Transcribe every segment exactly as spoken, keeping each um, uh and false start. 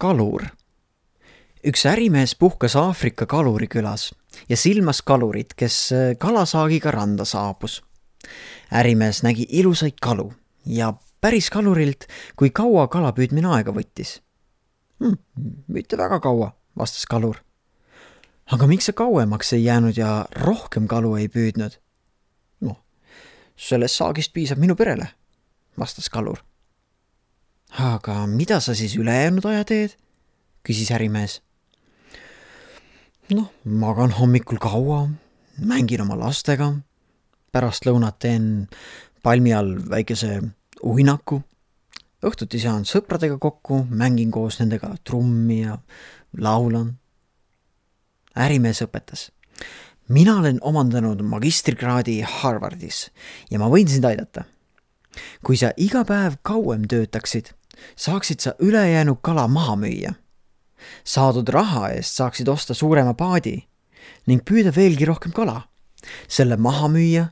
Kalur. Üks ärimees puhkas Aafrika kalurikülas ja silmas kalurit, kes kalasaagiga randa saabus. Ärimees nägi ilusaid kalu ja päris kalurilt, kui kaua kalapüüdmine aega võttis. Hm, mitte väga kaua, vastas kalur. Aga miks sa kauemaks ei jäänud ja rohkem kalu ei püüdnud? No, sellest saagist piisab minu perele, vastas kalur. Aga mida sa siis ülejäänud aja teed? Küsis ärimees. Noh, magan hommikul kaua, mängin oma lastega, pärast lõunat teen palmi all väikese uinaku, õhtuti saan sõpradega kokku, mängin koos nendega trummi ja laulan. Ärimees õpetas. Mina olen omandanud magistrikraadi Harvardis ja ma võin sind aidata. Kui sa iga päev kauem töötaksid, saaksid sa ülejäänud kala maha müüa. Saadud raha eest saaksid osta suurema paadi ning püüda veelgi rohkem kala, selle maha müüa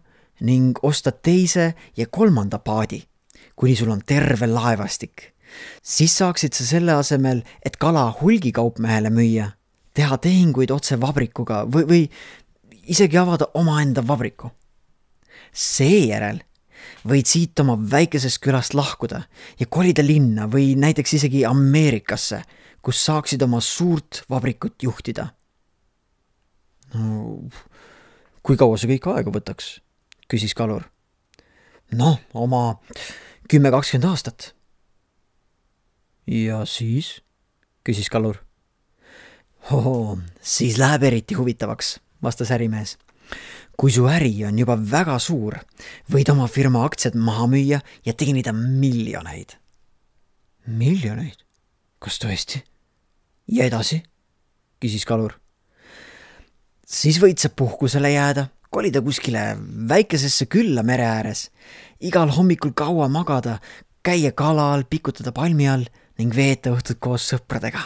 ning osta teise ja kolmanda paadi, kuni sul on terve laevastik. Siis saaksid sa selle asemel, et kala hulgikaupmehele müüa, teha tehinguid otse vabrikuga või, või isegi avada omaenda vabriku. Seejärel võid siit oma väikesest külast lahkuda ja kolida linna või näiteks isegi Ameerikasse, kus saaksid oma suurt vabrikut juhtida. No, kui kaua see kõik aega võtaks? Küsis kalur. Noh, oma kümme kakskümmend aastat. Ja siis? Küsis kalur. Hoho, siis läheb eriti huvitavaks, vastas ärimees. Kui su äri on juba väga suur, võid oma firma aktsiad maha müüa ja teenida miljoneid. Miljoneid? Kas tõesti? Ja edasi? Küsis kalur. Siis võid sa puhkusele jääda, kolida kuskile väikesesse külla mere ääres, igal hommikul kaua magada, käia kala all, pikutada palmi all ning veeta õhtut koos sõpradega.